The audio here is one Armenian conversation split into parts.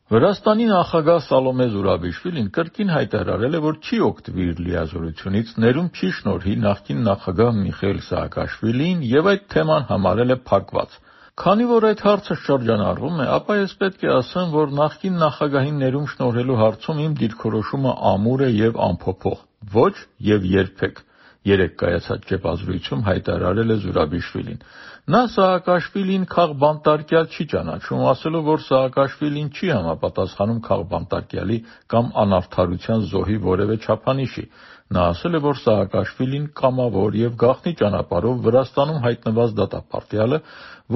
Վրաստանի նախագահ Սալոմե Զուրաբիշվիլին կրկին հայտարարել է, որ չի օգտվի իր լիազորությունից, ներում չի շնորհի նախկին նախագահ Միխայիլ Սաակաշվիլիին եւ այդ թեման համարել է փակված։ Քանի որ այդ հարցը շրջանառվում է, ապա ես պետք է ասեմ, որ նախկին նախագահին ներում շնորհելու հարցում իմ դիրքորոշումը ամուր է եւ անփոփոխ։ Ոչ եւ երբեք, երեկ կայացած ճեպազրույցում հայտարարել է Զուրաբիշվիլին։ Նա Սաակաշվիլին քաղբանտարկյալ չի ճանաչում, ասելով, որ Սաակաշվիլին չի համապատասխանում քաղբանտարկյալի կամ անարդարության զոհի որևէ չափանիշի։ Նա ասել է, որ Սաակաշվիլին կամավոր եւ գաղտնի ճանապարհով Վրաստանում հայտնված դատապարտյալ է,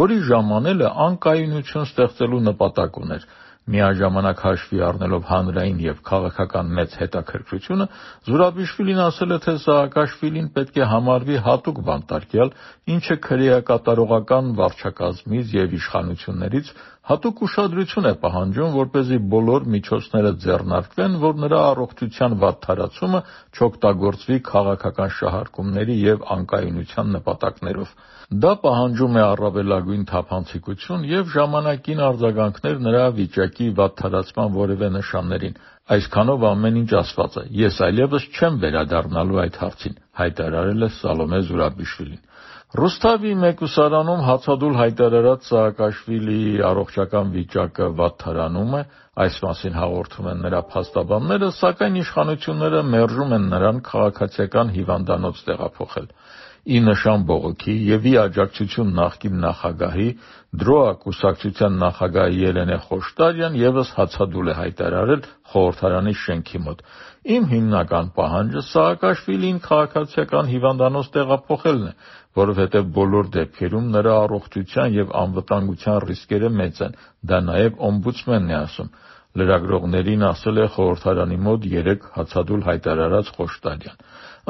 որի ժամանելը անկայունություն ստեղծելու նպատակ ուներ։ Միաժամանակ հաշվի առնելով հանրային եւ քաղաքական մեծ հետաքրքրությունը, Զուրաբիշվիլին ասել է, թե Սաակաշվիլին պետք է համարվի հատուկ բանտարկյալ, ինչը քրեակատարողական վարչակազմից եւ իշխանություններից հատուկ ուշադրություն է պահանջում, որպեսզի բոլոր միջոցները ձեռնարկվեն, որ նրա առողջության վատթարացումը չօգտագործվի քաղաքական շահարկումների եւ անկայունության նպատակներով։ Դա պահանջում է առավելագույն թափանցիկություն եւ ժամանակին արձագանքներ նրա վիճակի վատթարացման որևէ նշաններին։ Այսքանով ամեն ինչ ասված է։ Ես այլևս չեմ վերադառնալու այդ հարցին, հայտարարել է Սալոմե Զուրաբիշվիլին։ Ռուսթավի մեկուսարանում հացադուլ հայտարարած Սաակաշվիլիի առողջական վիճակը վատթարանում է, այս մասին հաղորդում են նրա փաստաբանները, սակայն իշխանությունները մերժում են նրան քաղաքացիական հիվանդանոց տեղափոխել։ Ի նշան բողոքի եւ ի աջակցություն նախկին նախագահի Դրոա կուսակցության նախագահ Ելենե Խոշտարյան եւս հացադուլ է հայտարարել խորհրդարանի շենքի մոտ։ Իմ հիմնական պահանջը Սաակաշվիլիին քաղաքացիական հիվանդանոց տեղափոխելն է, որովհետեւ բոլոր դեպքերում նրա առողջության եւ անվտանգության ռիսկերը մեծ են։ Դա նաեւ օմբուդսմենն է ասում։ Լրագրողներին ասել է խորհրդարանի մոտ երեկ հացադուլ հայտարարած Խոշտարյան։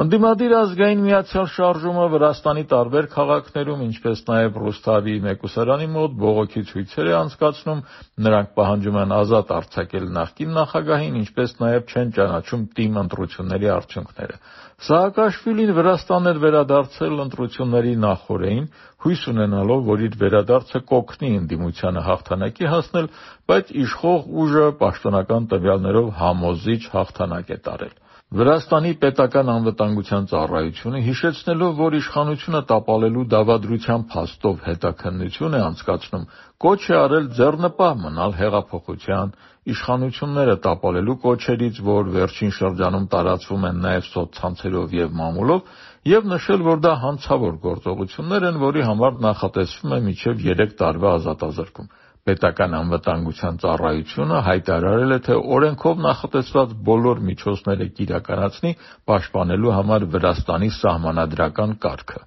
Ընդդիմադիր ազգային միացյալ շարժումը Վրաստանի տարբեր քաղաքներում, ինչպես նաև Ռուսթավի մեկուսարանի մոտ բողոքի ցույցեր է անցկացնում, նրանք պահանջում են ազատ արձակել նախկին նախագահին, ինչպես նաև չեն ճանաչում ՏԻՄ ընտրությունների արդյունքները։ Սաակաշվիլին Վրաստան էր վերադարձել ընտրությունների նախօրեին, հույս ունենալով, որ իր վերադարձը կօգնի ընդդիմությանը հաղթանակի հասնել, բայց իշխող ուժը պաշտոնական տվյալներով համոզիչ հաղթանակ է տարել։ Վրաստանի պետական անվտանգության ծառայությունը, հիշեցնելով, որ իշխանությունը տապալելու դավադրության փաստով հետաքննություն է անցկացնում, կոչ է արել ձեռնպահ մնալ հեղափոխության, իշխանությունները տապալելու կոչերից, որ վերջին շրջանում տարածվում են նաև սոցցանցերով եւ մամուլով, եւ նշել, որ դա հանցավոր գործողություններ են, որի համար նախատեսվում է մինչեւ 3 տարվա ազատազրկում։ Պետական անվտանգության ծառայությունը հայտարարել է, թե օրենքով նախատեսված բոլոր միջոցները կիրականացնի պաշտպանելու համար Վրաստանի սահմանադրական կարգը։